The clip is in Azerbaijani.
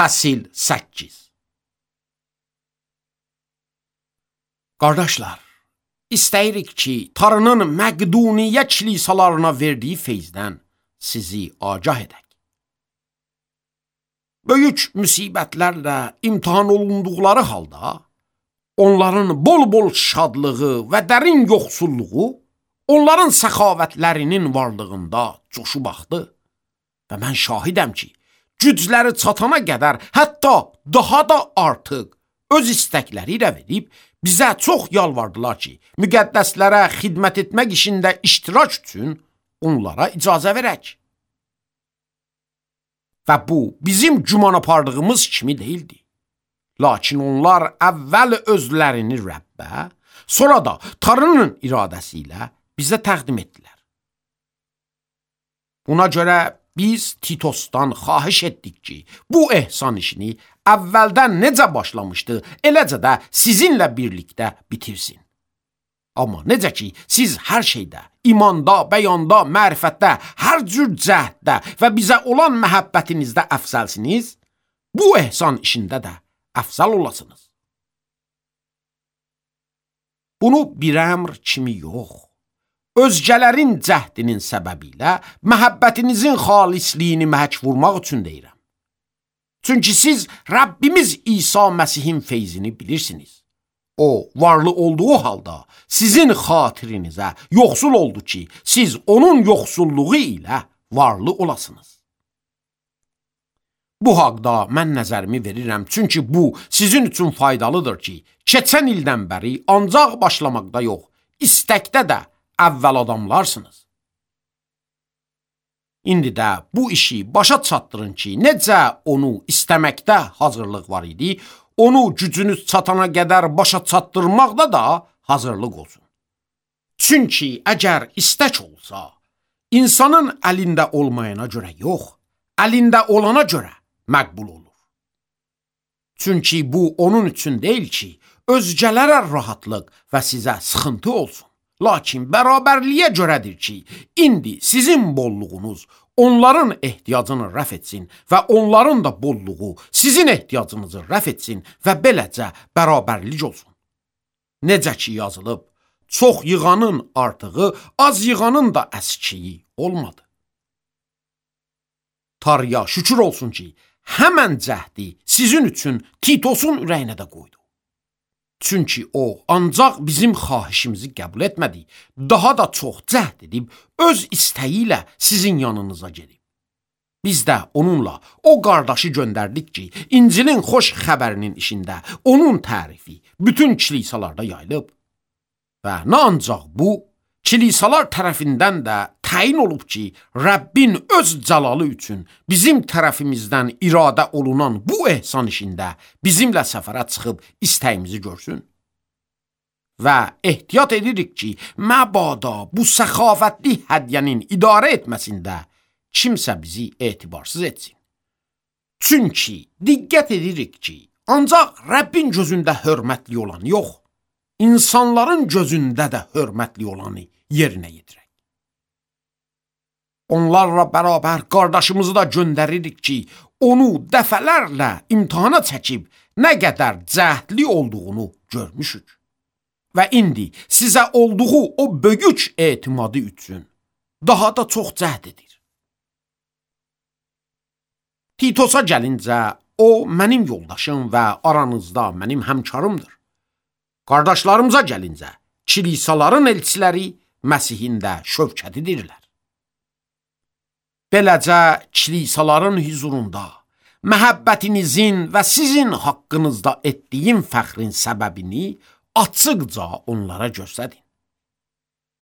Fəsil 8. Qardaşlar, istəyirik ki, Tanrının Məqduniyə kilisalarına verdiyi feyzdən sizi agah edək. Böyük müsibətlərlə imtihan olunduqları halda, onların bol-bol şadlığı və dərin yoxsulluğu, onların səxavətlərinin varlığında coşu baxdı və mən şahidəm ki, gücləri çatana qədər, hətta daha da artıq öz istəkləri ilə verib, bizə çox yalvardılar ki, müqəddəslərə xidmət etmək işində iştirak üçün onlara icazə verək. Və bu, bizim güman apardığımız kimi deyildi. Lakin onlar əvvəl özlərini Rəbbə, sonra da Tanrının iradəsi ilə bizə təqdim etdilər. Buna görə biz Titosdan xahiş etdik ki, bu ehsan işini əvvəldən necə başlamışdı, eləcə də sizinlə birlikdə bitirsin. Amma necə ki, siz hər şeydə, imanda, bəyanda, mərifətdə, hər cür cəhddə və bizə olan məhəbbətinizdə əfsəlsiniz, bu ehsan işində də əfsəl olasınız. Bunu bir əmr kimi yox, özgələrin cəhdinin səbəbi ilə məhəbbətinizin xalisliyini məhək vurmaq üçün deyirəm. Çünki siz Rəbbimiz İsa Məsihin feyzini bilirsiniz. O, varlı olduğu halda sizin xatirinizə yoxsul oldu ki, siz onun yoxsulluğu ilə varlı olasınız. Bu haqda mən nəzərimi verirəm, çünki bu sizin üçün faydalıdır ki, keçən ildən bəri ancaq başlamaqda yox, istəkdə də əvvəl adamlarsınız. İndi də bu işi başa çatdırın ki, necə onu istəməkdə hazırlıq var idi, onu gücünüz çatana qədər başa çatdırmaqda da hazırlıq olsun. Çünki əgər istək olsa, insanın əlində olmayana görə yox, əlində olana görə məqbul olur. Çünki bu onun üçün deyil ki, özgələrə rahatlıq və sizə sıxıntı olsun. Lakin bərabərliyə görədir ki, indi sizin bolluğunuz onların ehtiyacını rəf etsin və onların da bolluğu sizin ehtiyacınızı rəf etsin və beləcə bərabərlik olsun. Necə ki yazılıb, çox yığanın artığı, az yığanın da əskiyi olmadı. Tanrıya şükür olsun ki, həmən cəhdi sizin üçün Titosun ürəyinə də qoydu. Çünki o, ancaq bizim xahişimizi qəbul etmədi, daha da çox cəhd edib, öz istəyi ilə sizin yanınıza gedib. Biz də onunla o qardaşı göndərdik ki, İncilin xoş xəbərinin işində onun tərifi bütün kilisalarda yayılıb. Və nə ancaq bu, kilisalar tərəfindən də təyin olub ki, Rəbbin öz cəlalı üçün bizim tərəfimizdən iradə olunan bu ehsan işində bizimlə səfərə çıxıb istəyimizi görsün. Və ehtiyat edirik ki, məbada bu səxavətli hədiyyənin idarə etməsində kimsə bizi etibarsız etsin. Çünki diqqət edirik ki, ancaq Rəbbin gözündə hörmətli olan yox, insanların gözündə də hörmətli olanı yerinə yetirək. Onlarla bərabər qardaşımızı da göndəririk ki, onu dəfələrlə imtihana çəkib nə qədər cəhdli olduğunu görmüşük. Və indi sizə olduğu o böyük etimadı üçün daha da çox cəhd edir. Titosa gəlincə, o mənim yoldaşım və aranızda mənim həmkarımdır. Qardaşlarımıza gəlincə, kilisaların elçiləri Məsihin də şövkətidirlər. Beləcə, kilisaların huzurunda məhəbbətinizin və sizin haqqınızda etdiyim fəxrin səbəbini açıqca onlara göstərin.